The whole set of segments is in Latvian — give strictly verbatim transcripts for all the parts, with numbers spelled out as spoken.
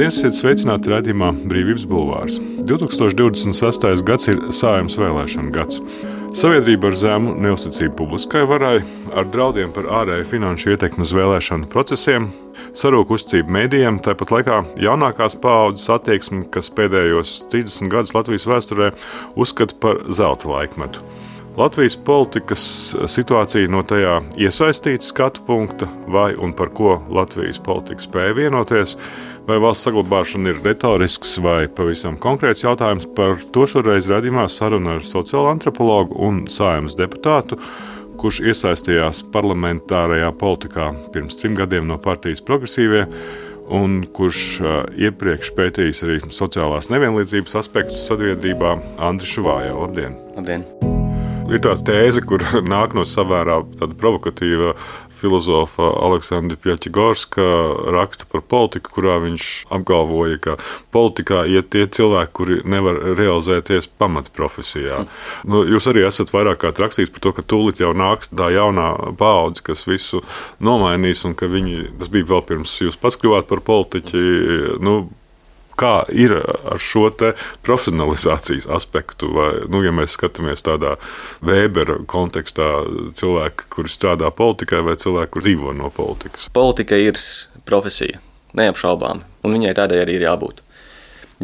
Labdien, esiet sveicināti raidījumā Brīvības bulvārs. divtūkstoš divdesmit sestais gads ir Saeimas vēlēšanu gads. Sabiedrība ar zemu neuzticību publiskai varai, ar draudiem par ārēju finanšu ietekmi uz vēlēšanu procesiem, sarūk uzticību mēdījiem, tāpat laikā jaunākās paaudzes attieksmi, kas pēdējos trīsdesmit gadus Latvijas vēsturē uzskata par zelta laikmetu. Latvijas politikas situācija no tajā iesaistīta skatu punkta, vai un par ko Latvijas politika spēja vienoties, vai valsts saglabāšana ir retorisks vai pavisam konkrēts jautājums, par to šoreiz raidījumā saruna ar sociālo antropologu un Saeimas deputātu, kurš iesaistījās parlamentārajā politikā pirms trim gadiem no partijas Progresīvie, un kurš iepriekš pētījis arī sociālās nevienlīdzības aspektus sabiedrībā, Andris Šuvājā. Labdien! Labdien! Ir tā tēze, kur nāk no savērā tāda provokatīva filozofa Aleksandra Pjaķigorska raksta par politiku, kurā viņš apgalvoja, ka politikā iet tie cilvēki, kuri nevar realizēties pamatprofesijā. Nu, jūs arī esat vairāk kā rakstījis par to, ka tūlīt jau nāks tā jaunā paudze, kas visu nomainīs, un ka viņi, tas bija vēl pirms jūs pats kļuvāt par politiķi, nu, kā ir ar šo te profesionalizācijas aspektu, vai, nu, ja mēs skatāmies tādā Vēbera kontekstā, cilvēki, kuri strādā politikai, vai cilvēki, kuri dzīvo no politikas? Politika ir profesija, neapšaubām, un viņai tādai arī ir jābūt.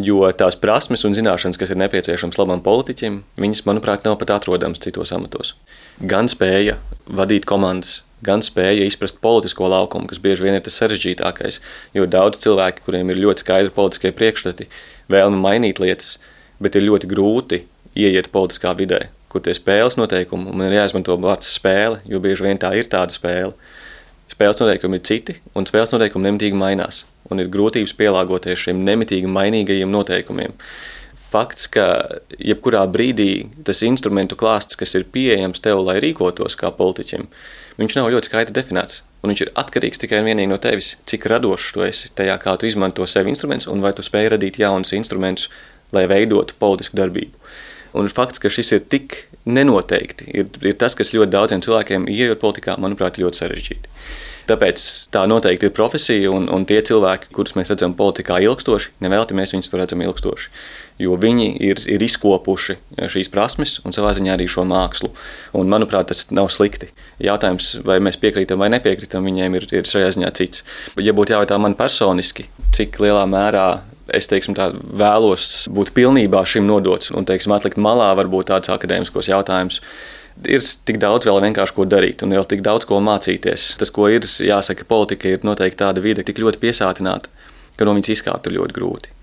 Jo tās prasmes un zināšanas, kas ir nepieciešams labam politiķim, viņas, manuprāt, nav pat atrodams citos amatos. Gan spēja vadīt komandas, gan spēja izprast politisko laukumu, kas bieži vien ir tas sarežģītākais, jo daudz cilvēki, kuriem ir ļoti skaidri politiskie priekšstati, vēlme mainīt lietas, bet ir ļoti grūti ieiet politiskā vidē, kur tie spēles noteikumi, un man ir jāizmanto vārds spēle, jo bieži vien tā ir tāda spēle. Spēles noteikumi ir citi, un spēles noteikumi nemitīgi mainās, un ir grūtības pielāgoties šiem nemitīgi mainīgajiem noteikumiem. Fakts, ka jebkurā brīdī tas instrumentu klāsts, kas ir pieejams tev, lai rīkotos kā politiķim, viņš nav ļoti skaidri definēts, un viņš ir atkarīgs tikai un vienīgi no tevis, cik radošs tu esi tajā, kā tu izmanto sev instrumentus, un vai tu spēj radīt jaunus instrumentus, lai veidotu politisku darbību. Un fakts, ka šis ir tik nenoteikti, ir, ir tas, kas ļoti daudziem cilvēkiem, ieejot politikā, manuprāt, ļoti sarežģīti. Tāpēc tā noteikti ir profesija, un, un tie cilvēki, kurus mēs redzam politikā ilgstoši, nevelti mēs viņus tur redzam ilgstoši, jo viņi ir, ir izkopuši šīs prasmes un savā ziņā arī šo mākslu. Un, manuprāt, tas nav slikti. Jautājums, vai mēs piekrītam vai nepiekrītam, viņiem ir, ir šajā ziņā cits. Ja būtu jājautā man personiski, cik lielā mērā es, teiksim, tā, vēlos būt pilnībā šim nodots un, teiksim, atlikt malā varbūt tādus akadēmiskos jautājumus, ir tik daudz vēl vienkārši ko darīt un vēl tik daudz ko mācīties. Tas, ko ir, jāsaka, politika ir noteikti tāda vide tik ļoti piesātināta, ka no viņas izkāpt ir ļoti grūti.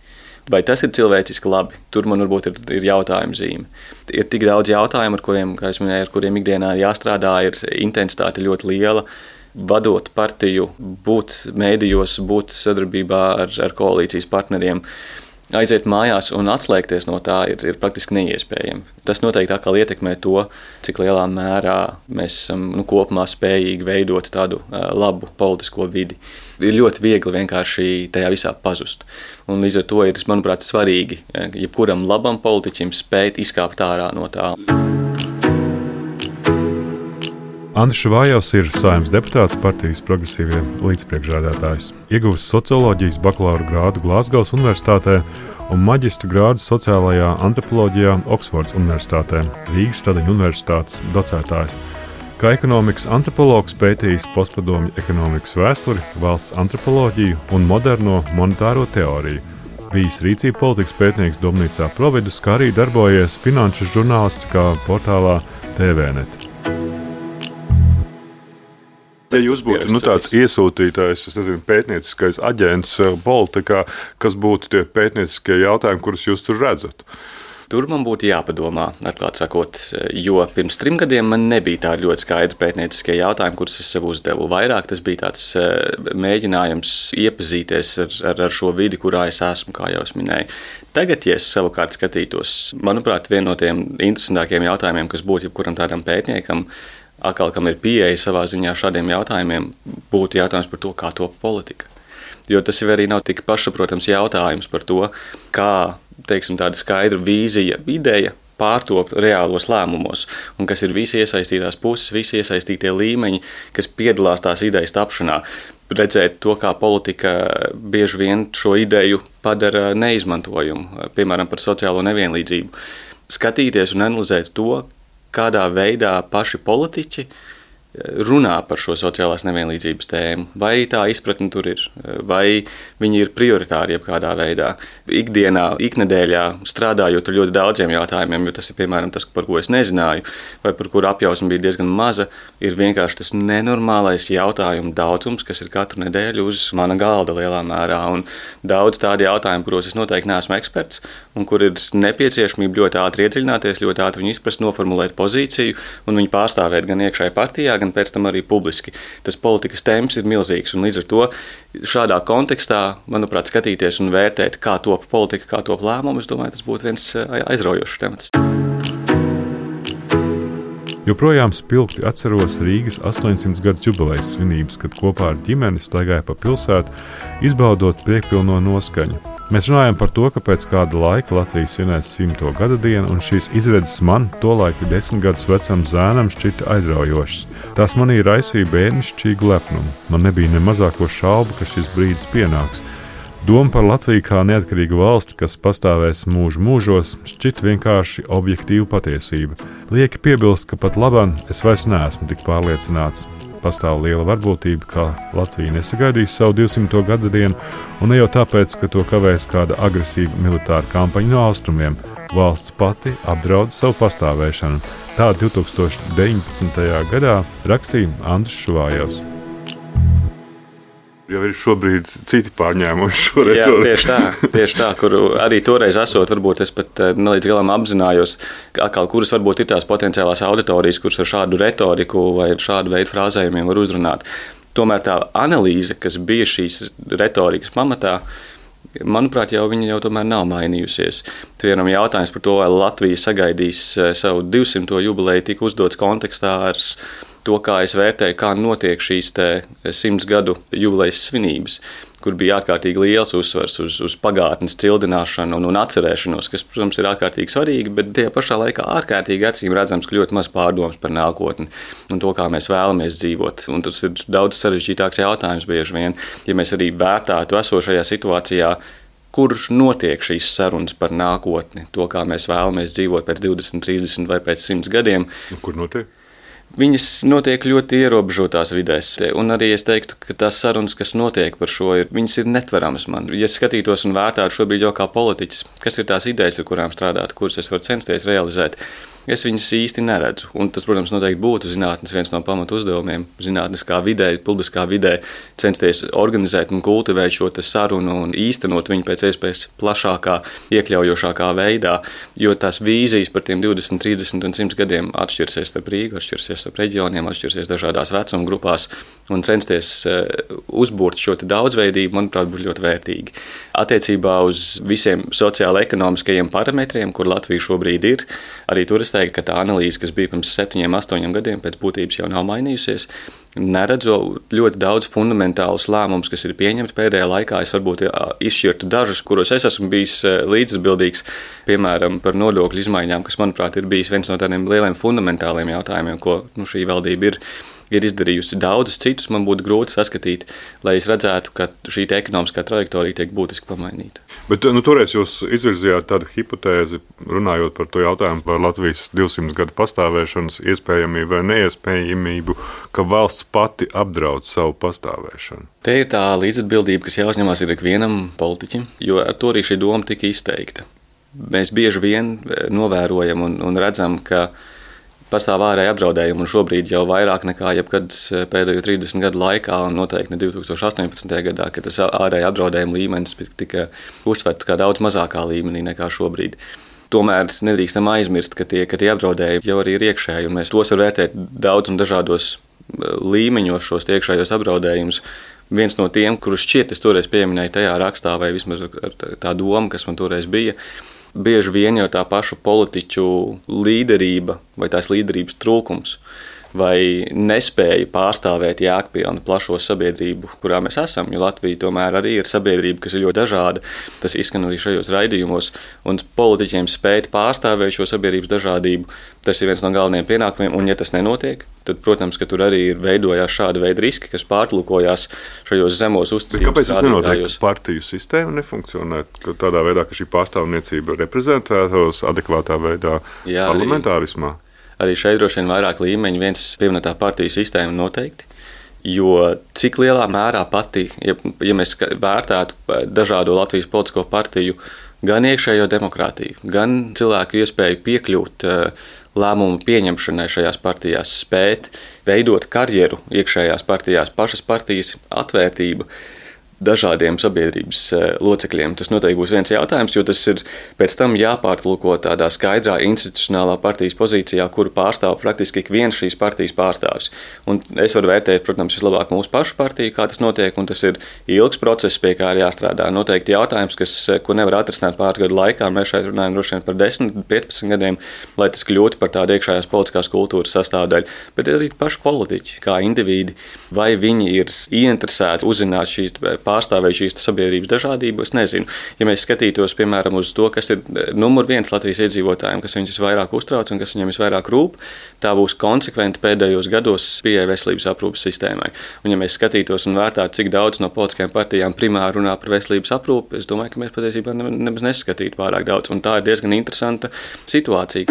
Vai tas ir cilvēciski labi? Tur man varbūt ir, ir jautājuma zīme. Ir tik daudz jautājumu, ar kuriem, kā es minēju, ar kuriem ikdienā ir jāstrādā, ir intensitāte ļoti liela. Vadot partiju, būt mēdījos, būt sadarbībā ar, ar koalīcijas partneriem, aiziet mājās un atslēgties no tā ir, ir praktiski neiespējami. Tas noteikti atkal ietekmē to, cik lielā mērā mēs esam nu, kopumā spējīgi veidot tādu uh, labu politisko vidi. Ir ļoti viegli vienkārši tajā visā pazust. Un līdz ar to ir, manuprāt, svarīgi, jebkuram labam politiķim spēt izkāpt ārā no tā. Andris Šuvājovs ir Saeimas deputāts, partijas Progresīvie līdzpriekšsēdētājs. Ieguvis socioloģijas bakalaura grādu Glāzgovas universitātē un maģistra grādu sociālajā antropoloģijā Oksfordas universitātē, Rīgas Stradiņu universitātes docētājs. Kā ekonomikas antropologs pētījis postpadomju ekonomikas vēsturi, valsts antropoloģiju un moderno monetāro teoriju. Bijis rīcība politikas pētnieks Domnīcā Providus, kā arī darbojies finanšu žurnālistikā portālā T V net. Ja jūs būtu nu, tāds iesūtītājs, es nezinu, pētnieciskais aģents politikā, kas būtu tie pētnieciskie jautājumi, kurus jūs tur redzat? Tur man būtu jāpadomā, atklāt sakot, jo pirms trim gadiem man nebija tādi ļoti skaidri pētnieciskie jautājumi, kurus es sev uzdevu. Vairāk tas bija tāds mēģinājums iepazīties ar, ar, ar šo vidi, kurā es esmu, kā jau es minēju. Tagad, ja es savukārt skatītos, manuprāt, viena no tiem interesantākiem jautājumiem, kas būtu jebkuram tādam pētniekam, atkal, kam ir pieeja savā ziņā šādiem jautājumiem, būtu jautājums par to, kā top politika. Jo tas jau arī nav tik pašsaprotams jautājums par to, kā, teiksim, tāda skaidra vīzija, ideja pārtop reālos lēmumos, un kas ir visi iesaistītās puses, visi iesaistītie līmeņi, kas piedalās tās idejas tapšanā. redzēt to, kā politika bieži vien šo ideju padara neizmantojumu, piemēram, par sociālo nevienlīdzību. Skatīties un analizēt to, kādā veidā paši politiķi runā par šo sociālās nevienlīdzības tēmu, vai tā izpratne tur ir, vai viņi ir prioritāri jebkādā veidā. Ikdienā, iknedēļā strādājot ar ļoti daudziem jautājumiem, jo tas ir piemēram tas, par ko es nezināju, vai par kuru apjausma bija diezgan maza, ir vienkārši tas nenormālais jautājumu daudzums, kas ir katru nedēļu uz mana galda lielā mērā. Un daudz tādi jautājumi, kuros es noteikti neesmu eksperts, un kur ir nepieciešamība ļoti ātri iedziļināties, ļoti ātri viņu izprast, noformulēt pozīciju un viņu pārstāvēt gan iekšēji partijā, gan pēc tam arī publiski. Tas politikas temps ir milzīgs, un līdz ar to šādā kontekstā, manuprāt, skatīties un vērtēt, kā top politika, kā top lēmumu, es domāju, tas būtu viens aizraujošs temats. Joprojām spilgti atceros Rīgas astoņsimt gadu jubilejas svinības, kad kopā ar ģimeni staigāja pa pilsētu, izbaudot priekpilno noskaņu. Mēs runājam par to, ka pēc kāda laika Latvija svinēs simto gada dienu, un šīs izredzes man, tolaik desmit gadus vecam zēnam, šķita aizraujošas. Tās manī raisīja bērnišķīgu lepnumu. Man nebija ne mazāko šaubu, ka šis brīdis pienāks. Doma par Latviju kā neatkarīgu valsti, kas pastāvēs mūžu mūžos, šķita vienkārši objektīva patiesība. Lieki piebilst, ka pat labāk es vairs neesmu tik pārliecināts. Pastāv liela varbūtība, ka Latvija nesagaidīs savu divsimto gada dienu, un ne jau tāpēc, ka to kavēs kāda agresīva militāra kampaņa no austrumiem. Valsts pati apdraud savu pastāvēšanu. Tā divtūkstoš deviņpadsmitajā gadā rakstīja Andris Šuvājevs. Jau ir šobrīd citi pārņēmuši šo retoriku. Jā, tieši tā, tieši tā, kur arī toreiz esot, varbūt es pat nelīdz galam apzinājos, atkal, kuras varbūt ir tās potenciālās auditorijas, kuras ar šādu retoriku vai ar šādu veidu frāzējumiem var uzrunāt. Tomēr tā analīze, kas bija šīs retorikas pamatā, manuprāt, jau viņa jau tomēr nav mainījusies. Piemēram, jautājums par to, vai Latvija sagaidīs savu divsimto jubileju, tika uzdots kontekstā ar to, kā es vērtēju, kā notiek šīs simts gadu jubilejas svinības, kur bija ārkārtīgi liels uzsvars uz, uz pagātnes cildināšanu un, un atcerēšanos, kas, protams, ir ārkārtīgi svarīgi, bet tajā pašā laikā ārkārtīgi acīm redzams, ka ļoti maz pārdomas par nākotni un to, kā mēs vēlamies dzīvot. Un tas ir daudz sarežģītāks jautājums bieži vien, ja mēs arī vērtātu esošajā situācijā, kur notiek šīs sarunas par nākotni, to, kā mēs vēlamies dzīvot pēc divdesmit, trīsdesmit vai pēc simts gadiem. Kur notiek? Viņas notiek ļoti ierobežotās vidēs, un arī es teiktu, ka tās sarunas, kas notiek par šo, ir, viņas ir netveramas man. Ja skatītos un vērtātu šobrīd jau kā politiķis, kas ir tās idejas, ar kurām strādāt, kuras es varu censties realizēt, es viņas īsti neredzu. Un tas, protams, noteikti būtu zinātnes viens no pamatu uzdevumiem. Zinātniskā vidē, publiskā vidē censties organizēt un kultivēt šo sarunu un īstenot viņu pēc iespējas plašākā, iekļaujošākā veidā, jo tās vīzijas par tiem divdesmit, trīsdesmit un simt gadiem atšķirsies starp Rīgu, atšķirsies starp reģioniem, atšķirsies dažādās vecuma grupās, un censties uzbūrt šo daudzveidību, manuprāt, būtu ļoti vērtīgi. Attiecībā uz visiem sociālo-ekonomiskajiem parametriem, kur Latvija šobrīd ir, arī tur es teiktu, ka tā analīze, kas bija pirms septiņiem, astoņiem gadiem, pēc būtības jau nav mainījusies. Neredzu ļoti daudz fundamentālus lēmumus, kas ir pieņemti pēdējā laikā. Es varbūt izšķirtu dažus, kuros es esmu bijis līdzatbildīgs, piemēram, par nodokļu izmaiņām, kas, manuprāt, ir bijis viens no tādiem lieliem fundamentāliem jautājumiem, ko nu, šī valdība ir. ir izdarījusi daudzus citus, man būtu grūti saskatīt, lai es redzētu, ka šī ekonomiskā trajektorija tiek būtiski pamainīta. Bet nu, toreiz jūs izvirzījāt tādu hipotēzi, runājot par to jautājumu par Latvijas divsimt gadu pastāvēšanas iespējamību vai neiespējamību, ka valsts pati apdraud savu pastāvēšanu. Te ir tā līdzatbildība, kas jāuzņemās ir ikvienam politiķim, jo ar to arī šī doma tika izteikta. Mēs bieži vien novērojam un, un redzam, ka pastāv ārēji apdraudējumi, un šobrīd jau vairāk nekā jebkad pēdējo trīsdesmit gadu laikā, un noteikti ne divtūkstoš astoņpadsmitajā gadā, kad tas ārēji apdraudējuma līmenis tika uztverts kā daudz mazākā līmenī nekā šobrīd. Tomēr nedrīkstam aizmirst, ka tie, ka tie apdraudējumi jau arī ir iekšēji, un mēs tos var vērtēt daudz un dažādos līmeņos šos iekšējos apdraudējumus. Viens no tiem, kurus šķiet es toreiz pieminēju tajā rakstā, vai vismaz ar tā doma, kas man toreiz bija, bieži vien jau tā paša politiķu līderība vai tās līderības trūkums vai nespēja pārstāvēt jēgpilnu plašo sabiedrību, kurā mēs esam, jo Latvija tomēr arī ir sabiedrība, kas ir ļoti dažāda. Tas izskan arī šajos raidījumos, un politiķiem spēt pārstāvēt šo sabiedrības dažādību, tas ir viens no galvenajiem pienākumiem, un ja tas nenotiek, tad, protams, ka tur arī ir veidojās šāda veida riski, kas pārlūkojās šajos zemos uzticības rādītājos. Kāpēc tas nenotiek? Partiju sistēma nefunkcionē tādā veidā, ka šī pārstāvniecība reprezentētos adekvātā veidā Jā, parlamentārismā? Arī, arī šeit droši vien vairāk līmeņi, viens pieminētā partiju sistēma noteikti, jo cik lielā mērā pati, ja, ja mēs vērtētu dažādo Latvijas politisko partiju, gan iekšējo demokrātiju, gan cilvēku iespēju piekļūt lēmumu pieņemšanai šajās partijās, spēt veidot karjeru iekšējās partijās, pašas partijas atvērtība dažādiem sabiedrības locekļiem. Tas noteikti būs viens jautājums, jo tas ir pēc tam jāpārtulko tādā skaidrā institucionālā partijas pozīcijā, kuru pārstāv praktiski ik viens šīs partijas pārstāvis. Un es varu vērtēt, protams, vislabāk mūsu pašu partiju, kā tas notiek, un tas ir ilgs process, pie kā ir jāstrādā. Noteikti jautājums, kas, ko nevar atrisināt pāris gadu laikā, mēs šeit runājam droši vien par desmit, piecpadsmit gadiem, lai tas kļūtu par tādu iekšējās politiskās kultūras sastāvdaļu, bet arī paši politiķi, kā individi, vai viņi ir ieinteresēti uzzināt šīs pārstāvēja šīs sabiedrības dažādību, es nezinu. Ja mēs skatītos, piemēram, uz to, kas ir numur viens Latvijas iedzīvotājiem, kas viņus visvairāk uztrauc un kas viņiem visvairāk rūp, tā būs konsekventi pēdējos gados pieeja veselības aprūpes sistēmai. Un ja mēs skatītos un vērtātu, cik daudz no politiskajām partijām primāri runā par veselības aprūpi, es domāju, ka mēs patiesībā nemaz neskatītu pārāk daudz. Un tā ir diezgan interesanta situācija.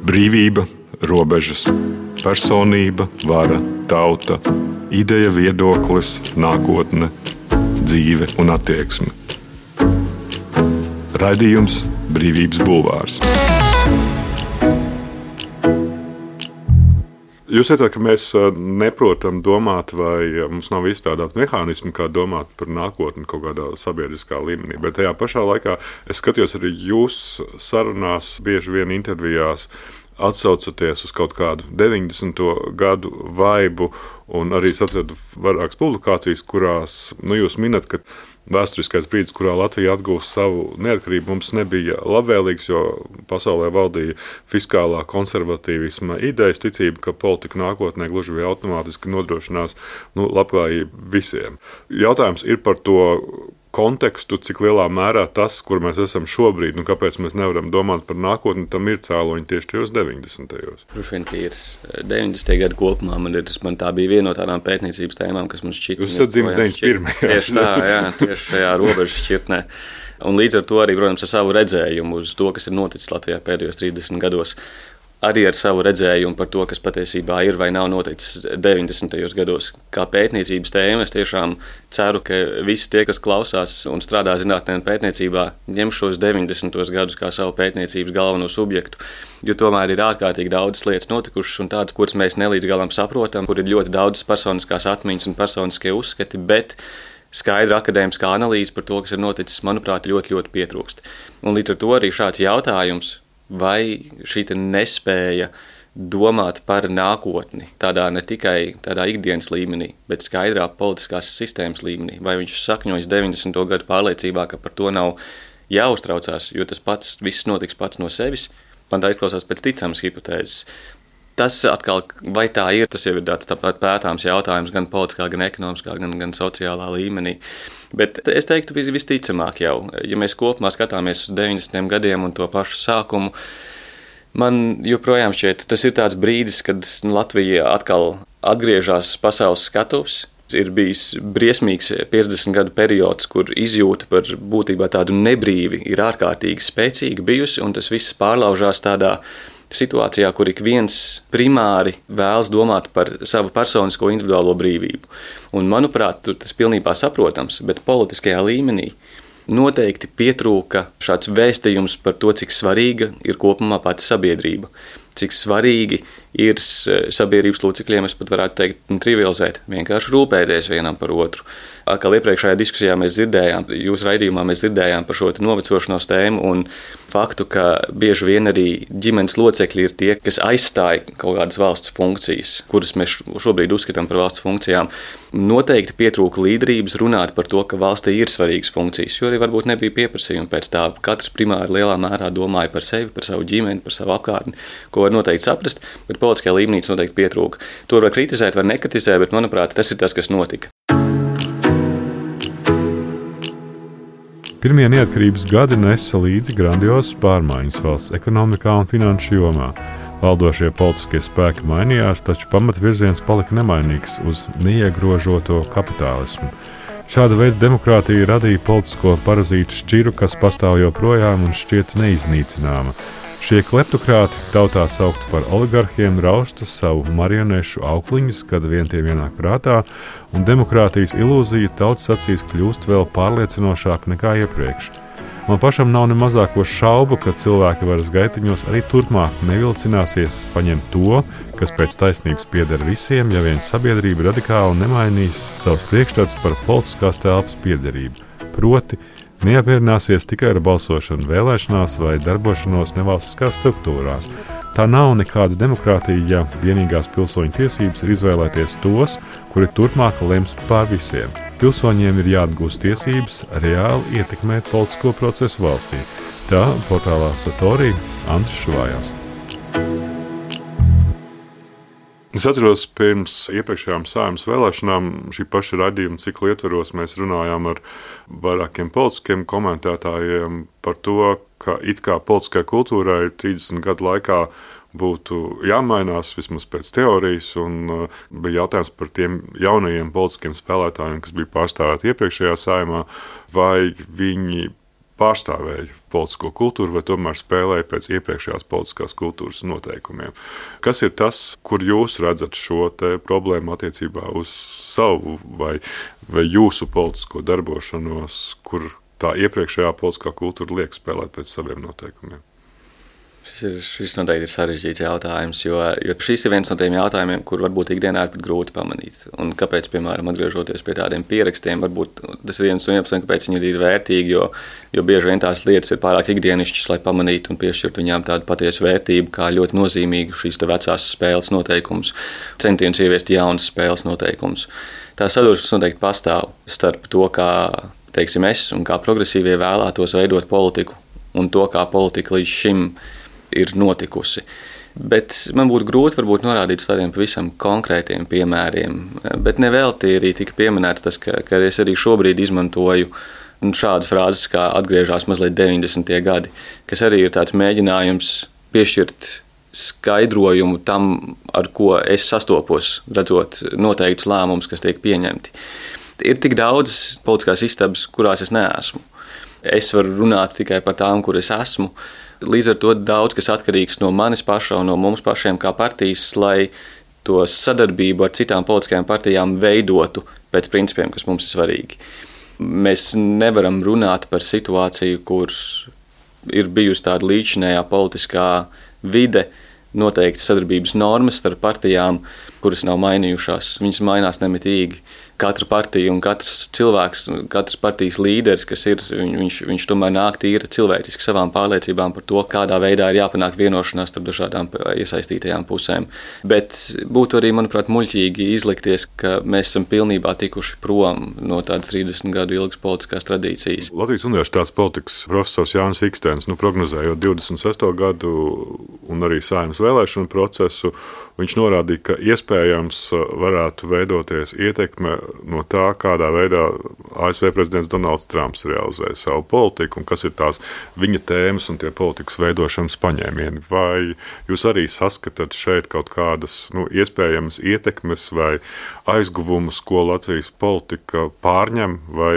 Brīvība, robežas, personība, vara, tauta, ideja, viedoklis, nākotne, dzīve un attieksme. Raidījums Brīvības bulvārs. Jūs teicāt, ka mēs neprotam domāt, vai mums nav izstrādāts mehānismi, kā domāt par nākotni kaut kādā sabiedriskā līmenī. Bet tajā pašā laikā es skatījos arī jūs sarunās, bieži vien intervijās, atsaucoties uz kaut kādu deviņdesmito gadu vaibu, un arī atradu vairākas publikācijas, kurās nu, jūs minat, ka vēsturiskais brīdis, kurā Latvija atgūst savu neatkarību, mums nebija labvēlīgs, jo pasaulē valdīja fiskālā konservatīvisma idejas, ticība, ka politika nākotnē gluži vai automātiski nodrošinās nu, labklājību visiem. Jautājums ir par to kontekstu, cik lielā mērā tas, kur mēs esam šobrīd, un kāpēc mēs nevaram domāt par nākotni, tam ir cēloņi tieši tajos deviņdesmitajos. Droši vien, ka ir deviņdesmitie gadi kopumā, man, ir, man tā bija viena no tādām pētniecības tēmām, kas man šķita. Jūs esat dzimis deviņdesmit pirmajā. Tieši tā, jā, tieši šajā robežas šķirtnē. Un līdz ar to arī, protams, ar savu redzējumu uz to, kas ir noticis Latvijā pēdējos trīsdesmit gados, arī ar savu redzējumu par to, kas patiesībā ir vai nav noticis deviņdesmitajos gados. Kā pētniecības tēma, es tiešām ceru, ka visi tie, kas klausās un strādā zinātnē un pētniecībā, ņem šos deviņdesmitos gadus kā savu pētniecības galveno subjektu, jo tomēr ir ārkārtīgi daudzas lietas notikušas un tādas, kuras mēs nelīdz galam saprotam, kur ir ļoti daudzas personiskās atmiņas un personiskie uzskati, bet skaidra akadēmiskā analīze par to, kas ir noticis, manuprāt, ļoti, ļoti pietrūkst. Un līdz ar to arī šāds jautājums, vai šī nespēja domāt par nākotni tādā ne tikai tādā ikdienas līmenī, bet skaidrā politiskās sistēmas līmenī, vai viņš sakņojas deviņdesmito gadu pārliecībā, ka par to nav jāuztraucās, jo tas pats viss notiks pats no sevis, man tā izklausās pēc ticamas hipotēzes. Tas atkal, vai tā ir, tas jau ir tāds tāpat pētāms jautājums gan politiskā, gan ekonomiskā, gan, gan sociālā līmenī. Bet es teiktu vis, visticamāk jau, ja mēs kopumā skatāmies uz deviņdesmitiem gadiem un to pašu sākumu, man joprojām šķiet, tas ir tāds brīdis, kad Latvija atkal atgriežas pasaules skatuves. Ir bijis briesmīgs piecdesmit gadu periods, kur izjūta par būtībā tādu nebrīvi ir ārkārtīgi spēcīga bijusi, un tas viss pārlaužās tādā situācijā, kur ik viens primāri vēlas domāt par savu personisko individuālo brīvību. Un, manuprāt, tas pilnībā saprotams, bet politiskajā līmenī noteikti pietrūka šāds vēstījums par to, cik svarīga ir kopumā pati sabiedrība. Cik svarīgi ir sabiedrības locekļiem, es pat varētu teikt, trivializēt, vienkārši rūpēties vienam par otru. Kā iepriekšējā diskusijā mēs dzirdējām, jūsu raidījumā mēs dzirdējām par šo novecošanos tēmu un faktu, ka bieži vien arī ģimenes locekļi ir tie, kas aizstāja kaut kādas valsts funkcijas, kuras mēs šobrīd uzskatām par valsts funkcijām. Noteikti pietrūka līderības runāt par to, ka valstī ir svarīgas funkcijas, jo arī varbūt nebija pieprasījumi pēc tā. Katrs primāri lielā mērā domāja par sevi, par savu ģimeni, par savu apkārtni, ko ko noteikti saprast, bet politiskajā līmenī tas noteikti pietrūka. To var kritizēt, var nekritizēt, bet, manuprāt, tas ir tas, kas notika. Pirmie neatkarības gadi nesa līdzi grandiozas pārmaiņas valsts ekonomikā un finanšu jomā. Valdošie politiskie spēki mainījās, taču pamatvirziens palika nemainīgs uz neiegrožoto kapitālismu. Šāda veida demokrātija radīja politisko parazītu šķiru, kas pastāv joprojām un šķiet neiznīcināma. Šie kleptokrāti, tautā saukti par oligarhiem, rausta savu marionešu aukliņus, kad vien tie ienāk prātā, un demokrātijas ilūzija tautas acīs kļūst vēl pārliecinošāk nekā iepriekš. Man pašam nav ne mazāko šaubu, ka cilvēki varas gaitiņos arī turpmāk nevilcināsies paņemt to, kas pēc taisnības pieder visiem, ja vien sabiedrība radikāli nemainīs savus priekšstats par politiskās telpas piederību. Proti, neapmierināsies tikai ar balsošanu vēlēšanās vai darbošanos nevalstiskās struktūrās. Tā nav nekāda demokrātija, ja vienīgās pilsoņu tiesības ir izvēlēties tos, kuri turpmāk lems pār visiem. Pilsoņiem ir jāatgūst tiesības reāli ietekmēt politisko procesu valstī. Tā portālā Satorī Andris Šuvājās. Es atceros, pirms iepriekšējām Saeimas vēlēšanām šī paša raidījuma cikla ietvaros mēs runājām ar vairākiem politiskiem komentētājiem par to, ka it kā politiskajai kultūrai trīsdesmit gadu laikā būtu jāmainās vismaz pēc teorijas, un bija jautājums par tiem jaunajiem politiskiem spēlētājiem, kas bija pārstāvēti iepriekšējā Saeimā, vai viņi pārstāvēja politisko kultūru vai tomēr spēlēja pēc iepriekšējās politiskās kultūras noteikumiem. Kas ir tas, kur jūs redzat šo te problēmu attiecībā uz savu vai, vai jūsu politisko darbošanos, kur tā iepriekšējā politiskā kultūra liek spēlēt pēc saviem noteikumiem? Šis, ir, šis noteikti ir sarežģīts jautājums, jo, jo šis ir viens no tiem jautājumiem, kur varbūt ikdienā ir pat grūti pamanīt. Un kāpēc, piemēram, atgriežoties pie tādiem pierakstiem, varbūt tas ir viens no iemesliem, kāpēc viņi ir vērtīgi, jo, jo bieži vien tās lietas ir pārāk ikdienišķas, lai pamanītu un piešķirtu viņām tādu patiesu vērtību, kā ļoti nozīmīgu šīs te vecās spēles noteikumus, centienus ieviest jaunas spēles noteikumus. Tā sadursmes noteikti pastāv starp to, kā, teiksim, es un kā progresīvie vēlētos veidot politiku un to, kā politika līdz šim ir notikusi. Bet man būtu grūti varbūt norādīt uz tādiem pavisam konkrētiem piemēriem, bet nevelti arī tika pieminēts tas, ka, ka es arī šobrīd izmantoju šādas frāzes, kā atgriežās mazliet deviņdesmitie gadi, kas arī ir tāds mēģinājums piešķirt skaidrojumu tam, ar ko es sastopos, redzot noteiktus lēmumus, kas tiek pieņemti. Ir tik daudz politiskās istabas, kurās es neesmu. Es varu runāt tikai par tām, kur es esmu. Līdz ar to daudz, kas atkarīgs no manis paša un no mums pašiem kā partijas, lai to sadarbību ar citām politiskajām partijām veidotu pēc principiem, kas mums ir svarīgi. Mēs nevaram runāt par situāciju, kur ir bijusi tāda līdzinējā politiskā vide, noteikti sadarbības normas starp partijām, kuras nav mainījušās. Viņas mainās nemitīgi. Katra partija un katrs cilvēks, katrs partijas līderis, kas ir, viņš, viņš tomēr nāk tīri cilvēciski savām pārliecībām par to, kādā veidā ir jāpanāk vienošanās starp dažādām iesaistītajām pusēm. Bet būtu arī, manuprāt, muļķīgi izlikties, ka mēs esam pilnībā tikuši prom no tādas trīsdesmit gadu ilgas politiskās tradīcijas. Latvijas Universitātes politikas profesors Jānis Ikstens, nu, prognozējot divdesmit sesto gadu un arī Saeimas vēlēšanu procesu, viņš norādīja, ka iespējams varētu veidoties ietekme no tā, kādā veidā A S V prezidents Donalds Trumps realizē savu politiku un kas ir tās viņa tēmas un tie politikas veidošanas paņēmieni. Vai jūs arī saskatāt šeit kaut kādas nu, iespējamas ietekmes vai aizguvumus, ko Latvijas politika pārņem vai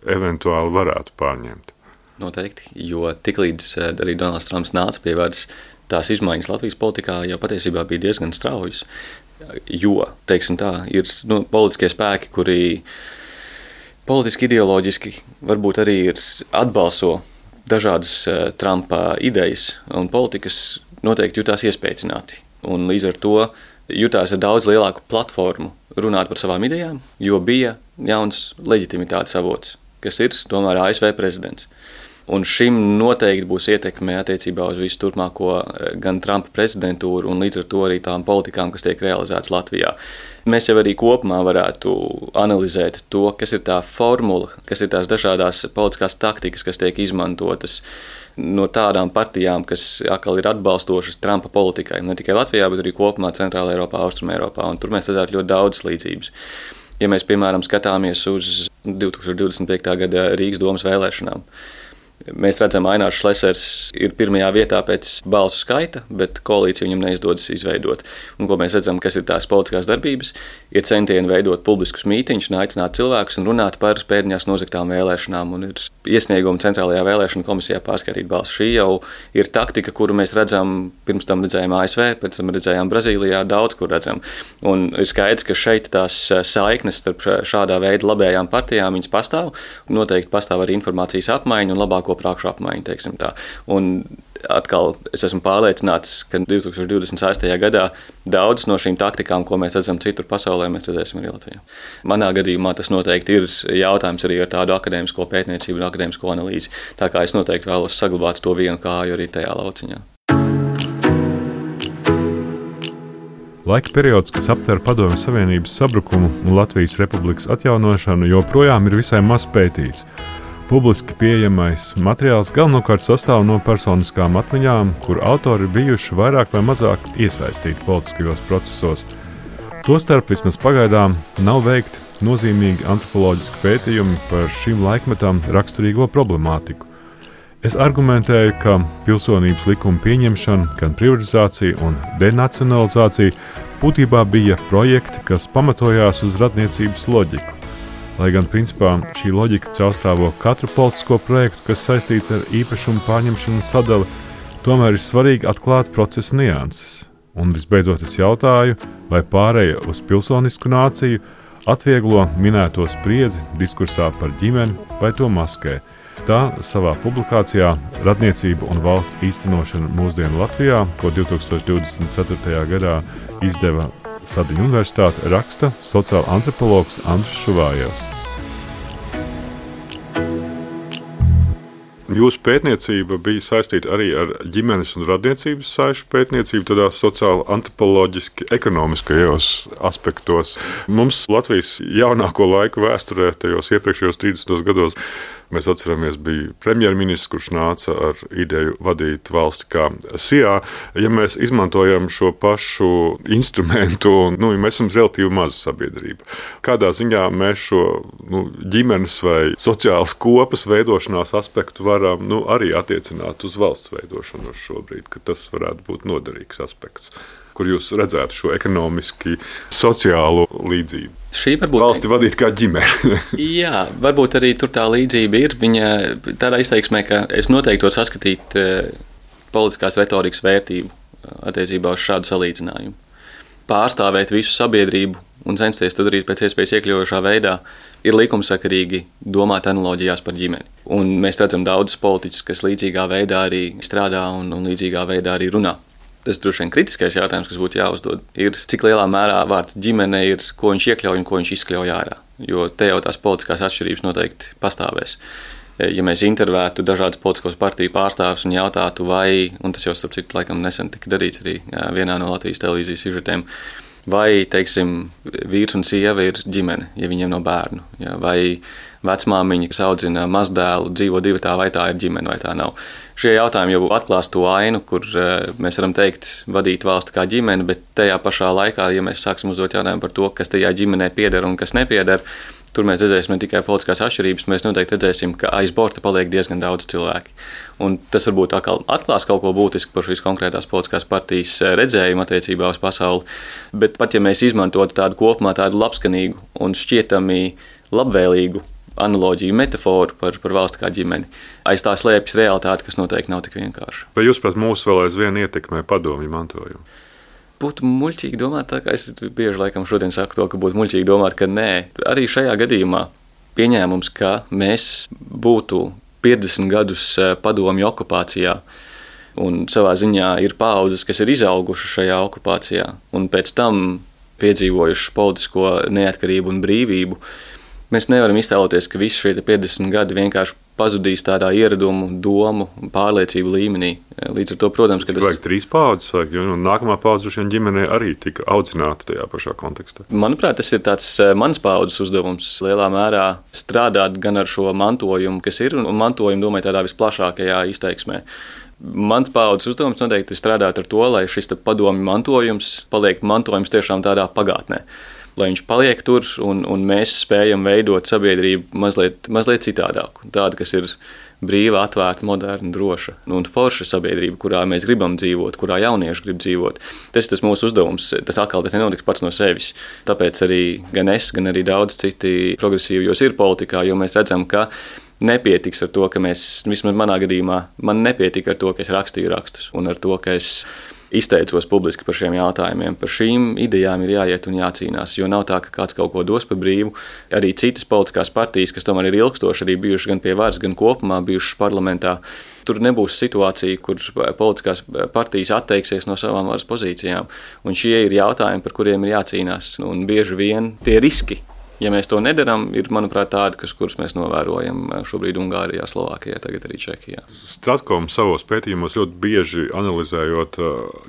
eventuāli varētu pārņemt? Noteikti, jo tiklīdz arī Donalds Trumps nāca pie varas, tās izmaiņas Latvijas politikā jau patiesībā bija diezgan straujas. Jo, teiksim tā, ir nu, politiskie spēki, kuri politiski, ideoloģiski varbūt arī ir atbalso dažādas Trumpa idejas un politikas noteikti jutās iespēcināti. Un līdz ar to jutās ar daudz lielāku platformu runāt par savām idejām, jo bija jauns leģitimitātes avots, kas ir tomēr A S V prezidents. Un šim noteikti būs ietekme attiecībā uz visu turpmāko gan Trumpa prezidentūru un līdz ar to arī tām politikām, kas tiek realizētas Latvijā. Mēs jau arī kopumā varētu analizēt to, kas ir tā formula, kas ir tās dažādās politiskās taktikas, kas tiek izmantotas no tādām partijām, kas atkal ir atbalstošas Trumpa politikai. Ne tikai Latvijā, bet arī kopumā Centrāla Eiropā, Austrum Eiropā. Un tur mēs redzētu ļoti daudzas līdzības. Ja mēs, piemēram, skatāmies uz divtūkstoš divdesmit piektā gada Rīgas domas vēlēšanām, mēs redzam, ka Ainārs Šlesers ir pirmajā vietā pēc balsu skaita, bet koalīciju viņam neizdodas izveidot. Un, ko mēs redzam, kas ir tās politiskās darbības, ir centieni veidot publiskus mītiņus un aicināt cilvēkus un runāt par pēdiņās nozagtām vēlēšanām. Un ir iesniegumi Centrālajā vēlēšana komisijā pārskaitīt balsu. Šī jau ir taktika, kuru mēs redzam, pirms tam redzējām A S V, pēc tam redzējām Brazīlijā, daudz kur redzam. Un ir skaidrs, ka šeit tās saiknes starp šādā veida labējām partijām viņas pastāv. Noteikti pastāv arī informācijas apmaiņa un labāko prākšu apmaiņu, teiksim tā. Un atkal es esmu pārliecināts, ka divtūkstoš divdesmit sestajā gadā daudzas no šīm taktikām, ko mēs redzam citur pasaulē, mēs redzēsim arī Latvijā. Manā gadījumā tas noteikti ir jautājums arī ar tādu akadēmisko pētniecību un akadēmisko analīzi. Tā kā es noteikti vēlos saglabāt to vienu kāju arī tajā lauciņā. Laika periods, kas aptver Padomju Savienības sabrukumu un Latvijas Republikas atjaunošanu, joprojām ir visai maz pētīts. Publiski pieejamais materiāls galvenokārt sastāv no personiskām atmiņām, kur autori bijuši vairāk vai mazāk iesaistīti politiskajos procesos. Tostarp vismaz pagaidām nav veikti nozīmīgi antropoloģiski pētījumi par šīm laikmetām raksturīgo problemātiku. Es argumentēju, ka pilsonības likuma pieņemšana, gan privatizācija un denacionalizācija būtībā bija projekti, kas pamatojās uz radniecības loģiku. Lai gan principā šī loģika caurstrāvo katru politisko projektu, kas saistīts ar īpašumu pārņemšanu un sadali, tomēr ir svarīgi atklāt procesa nianses. Un visbeidzot es jautāju, vai pāreja uz pilsonisku nāciju atvieglo minēto spriedzi diskursā par ģimeni vai to maskē. Tā savā publikācijā Radniecība un valsts īstenošana mūsdienu Latvijā, ko divtūkstoš divdesmit ceturtajā gadā izdeva Sadiņu universitāte, raksta sociāla antropologs Andris Šuvājevs. Jūsu pētniecība bija saistīta arī ar ģimenes un radniecības saišu pētniecību, tādā sociāli antropoloģiski ekonomiskajos aspektos. Mums Latvijas jaunāko laiku vēsturē, tajos iepriekšējos trīsdesmitos gados, mēs atceramies, bija premjerministrs, kurš nāca ar ideju vadīt valsti kā S I A. Ja mēs izmantojam šo pašu instrumentu, nu, ja mēs esam relatīvi maza sabiedrība, kādā ziņā mēs šo nu, ģimenes vai sociālas kopas veidošanās aspektu varam nu, arī attiecināt uz valsts veidošanu šobrīd, ka tas varētu būt noderīgs aspekts, kur jūs redzētu šo ekonomiski sociālo līdzību. Šī varbūt valsti vadīt kā ģimene. Jā, varbūt arī tur tā līdzība ir. Viņa tādā izteiksmē, ka es noteikti to saskatīt politiskās retorikas vērtību attiecībā uz šādu salīdzinājumu. Pārstāvēt visu sabiedrību un censties to darīt pēc iespējas iekļaujošā veidā ir likumsakarīgi domāt analoģijās par ģimeni. Un mēs redzam daudzus politiķus, kas līdzīgā veidā arī strādā un, un līdzīgā veidā arī runā. Tas droši vien kritiskais jautājums, kas būtu jāuzdod, ir, cik lielā mērā vārds ģimene ir, ko viņš iekļauj un ko viņš izkļauj ārā. Jo te jau tās politiskās atšķirības noteikti pastāvēs. Ja mēs intervētu dažādas politiskos partiju pārstāvjus un jautātu, vai, un tas jau starp citu laikam nesen tika darīts arī vienā no Latvijas televīzijas sižetiem, vai, teiksim, vīrs un sieva ir ģimene, ja viņiem nav bērnu, ja, vai vecmāmiņa, kas audzina mazdēlu, dzīvo divatā, vai tā ir ģimene, vai tā nav. Šie jautājumi jau atklās to ainu, kur mēs varam teikt vadīt valsti kā ģimeni, bet tajā pašā laikā, ja mēs sāksim uzdot jautājumu par to, kas tajā ģimenē pieder un kas nepieder, tur mēs redzēsim ne tikai politiskās atšķirības, mēs noteikti redzēsim, ka aiz borta paliek diezgan daudz cilvēki. Un tas varbūt atklās kaut ko būtisku par šīs konkrētās politiskās partijas redzējumu attiecībā uz pasauli, bet pat ja mēs izmantotu tādu kopumā tādu labskanīgu un šķietami labvēlīgu analoģiju, metaforu par, par valsti kā ģimeni, aiz tā slēpjas realitāte, kas noteikti nav tik vienkārša. Vai jūs pēc mūsu vēl aizvien ietekmē padomju mantojumu? Būtu muļķīgi domāt, tā kā es bieži laikam šodien saku to, ka būtu muļķīgi domāt, ka nē. Arī šajā gadījumā pieņēmums, ka mēs būtu piecdesmit gadus padomju okupācijā un savā ziņā ir paaudzes, kas ir izauguši šajā okupācijā un pēc tam piedzīvojuši politisko neatkarību un brīvību. Mēs nevaram iztēloties, ka visi šie piecdesmit gadi vienkārši pazudīs tādā ieradumu, domu, pārliecību līmenī. Līdz ar to, protams, ka tas... Vajag trīs paudzes, vajag, jo nākamā paudze droši vien ģimenē arī tika audzināta tajā pašā kontekstā. Manuprāt, tas ir tāds mans paudzes uzdevums lielā mērā strādāt gan ar šo mantojumu, kas ir, un mantojumu domāju tādā visplašākajā izteiksmē. Mans paudzes uzdevums noteikti ir strādāt ar to, lai šis padomju mantojums paliek mantojums tiešām tādā pagātnē. Lai viņš paliek tur un, un mēs spējam veidot sabiedrību mazliet, mazliet citādāku. Tāda, kas ir brīva, atvērta, moderna, droša un forša sabiedrība, kurā mēs gribam dzīvot, kurā jaunieši grib dzīvot. Tas ir tas mūsu uzdevums. Tas atkal tas nenotiks pats no sevis. Tāpēc arī gan es, gan arī daudz citi progresīvi jūs ir politikā, jo mēs redzam, ka nepietiks ar to, ka mēs, vismaz manā gadījumā, man nepietika ar to, ka es rakstīju rakstus un ar to, ka es izteicos publiski par šiem jautājumiem. Par šīm idejām ir jāiet un jācīnās, jo nav tā, ka kāds kaut ko dos par brīvu. Arī citas politiskās partijas, kas tomēr ir ilgstoši, arī bijušas gan pie varas, gan kopumā bijušas parlamentā, tur nebūs situācija, kur politiskās partijas atteiksies no savām varas pozīcijām. Un šie ir jautājumi, par kuriem ir jācīnās. Un bieži vien tie riski, ja mēs to nedaram, ir, manuprāt, tādi, kas, kurus mēs novērojam šobrīd Ungārijā, Slovākijā, tagad arī Čehijā. Stratkom savos pētījumos ļoti bieži analizējot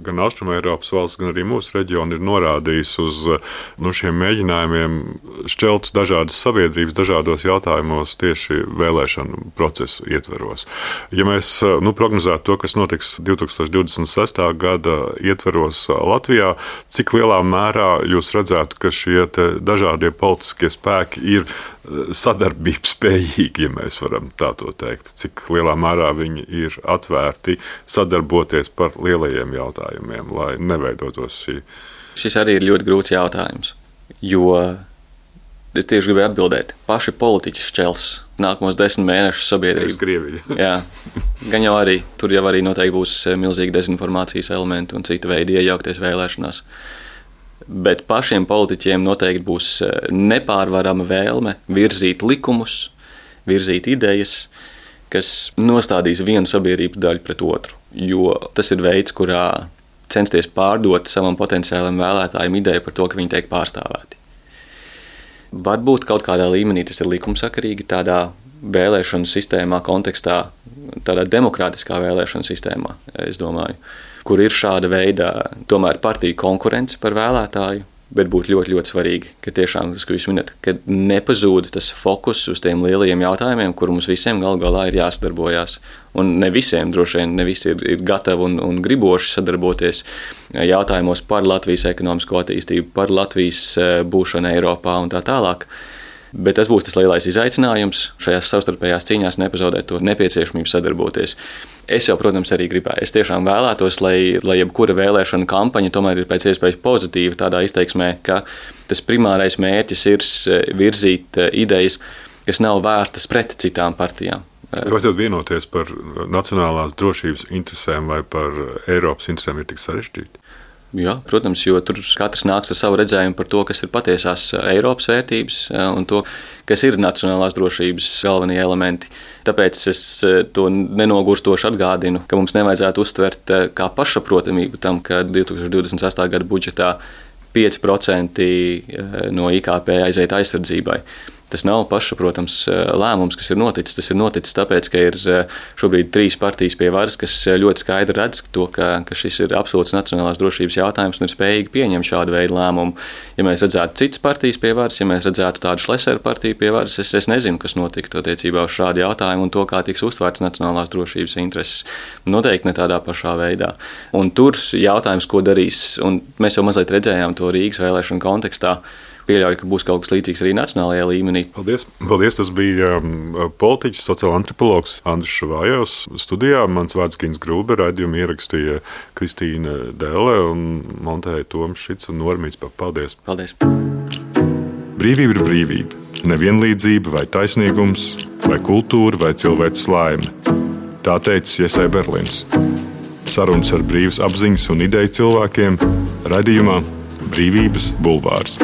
gan Austrumeiropas valsts, gan arī mūsu reģionu, ir norādījis uz nu, šiem mēģinājumiem šķelt dažādas sabiedrības, dažādos jautājumos tieši vēlēšanu procesu ietveros. Ja mēs nu, prognozētu to, kas notiks divtūkstoš divdesmit sestā gada ietveros Latvijā, cik lielā mērā jūs redzētu, ka šie dažādie politiskie spēki ir sadarbības spējīgi, ja mēs varam tā to teikt. Cik lielā mērā viņi ir atvērti sadarboties par lielajiem jautājumiem, lai neveidotos šī. Šis arī ir ļoti grūts jautājums, jo es tieši gribēju atbildēt. Paši politiķi šķels nākamos desmit mēnešus sabiedrību. Krievija. Jā, gan jau arī, tur jau arī noteikti būs milzīgi dezinformācijas elementi un cita veidi iejaukties vēlēšanās. Bet pašiem politiķiem noteikti būs nepārvarama vēlme virzīt likumus, virzīt idejas, kas nostādīs vienu sabiedrības daļu pret otru. Jo tas ir veids, kurā censties pārdot savam potenciālam vēlētājiem ideju par to, ka viņi tiek pārstāvēti. Varbūt kaut kādā līmenī tas ir likumsakarīgi, tādā vēlēšanu sistēmā, kontekstā, tādā demokrātiskā vēlēšanu sistēmā, es domāju, kur ir šāda veida tomēr partiju konkurence par vēlētāju, bet būtu ļoti, ļoti svarīgi, ka tiešām tas, ko jūs minat, ka nepazūd tas fokus uz tiem lielajiem jautājumiem, kur mums visiem gal galā ir jāsadarbojās. Un ne visiem, droši vien, ne visi ir, ir gatavi un, un griboši sadarboties jautājumos par Latvijas ekonomisko attīstību, par Latvijas būšanu Eiropā un tā tālāk. Bet tas būs tas lielais izaicinājums šajās savstarpējās cīņās nepazaudēt to nepieciešamību sadarboties. Es jau, protams, arī gribēju. Es tiešām vēlētos, lai, lai jebkura vēlēšana kampaņa tomēr ir pēc iespējas pozitīva tādā izteiksmē, ka tas primārais mērķis ir virzīt idejas, kas nav vērtas pret citām partijām. Vai tad vienoties par nacionālās drošības interesēm vai par Eiropas interesēm ir tik sarežģīti? Jā, protams, jo tur katrs nāks ar savu redzējumu par to, kas ir patiesās Eiropas vērtības un to, kas ir nacionālās drošības galvenie elementi. Tāpēc es to nenogurstoši atgādinu, ka mums nevajadzētu uztvert kā pašsaprotamību tam, ka divtūkstoš divdesmit sestā gada budžetā pieci procenti no I K P aiziet aizsardzībai. Tas nav pašsaprotams lēmums, kas ir noticis. Tas ir noticis tāpēc, ka ir šobrīd trīs partijas pie varas, kas ļoti skaidri redz to, ka, ka šis ir absolūts nacionālās drošības jautājums un ir spējīgi pieņemt šādu veidu lēmumu. Ja mēs redzētu citas partijas pie varas, ja mēs redzētu tādu Šleseru partiju pie varas, es, es nezinu, kas notiktu attiecībā uz šādu jautājumu un to, kā tiks uztvērts nacionālās drošības intereses. Noteikti ne tādā pašā veidā. Un tur jautājums, ko darīs, un mēs jau mazliet redzējām to Rīgas vēlēšanu kontekstā, pieļauju, ka būs kaut kas līdzīgs arī nacionālajā līmenī. Paldies. Paldies. Tas bija politiķis, sociāla antropologs Andris Šavājovs studijā. Mans vārds Gins Grūbe, raidījumu ierakstīja Kristīna Dēle un montēja Toms Šits un Normīts. Paldies. Paldies. Brīvība ir brīvība. Nevienlīdzība vai taisnīgums, vai kultūra, vai cilvēks laime. Tā teicis Jesai Berlins. Sarunas ar brīvas apziņas un ideju cilvēkiem raidījumā Brīvības bulvārs.